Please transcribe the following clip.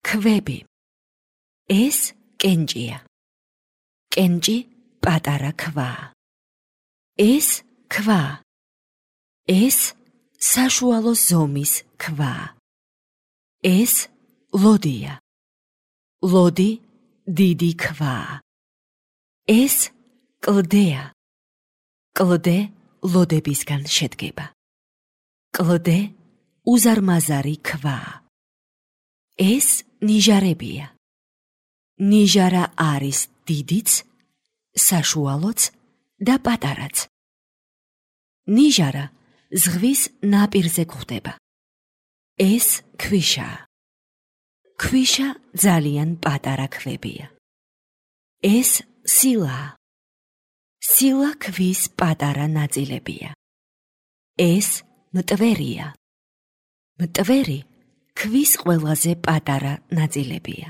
ქვები. ეს კენჭია. კენჭი პატარა ქვაა. ეს ქვა. ეს საშუალო ზომის ქვაა. ეს ლოდია. ლოდი დიდი ქვაა. ეს კლდეა. კლდე ლოდებისგან შედგება. კლდე უზარმაზარი ქვაა. ეს ნიჟარებია. ნიჟარა არის დიდიც, საშუალოც და პატარაც. ნიჟარა ზღვის ნაპირზე გვხვდება. ეს ქვიშაა. ქვიშა ძალიან პატარა ქვებია. ეს სილაა. სილა ქვის პატარა ნაწილებია. ეს მტვერია. მტვერი ქვის ყველაზე პატარა ნაწილებია.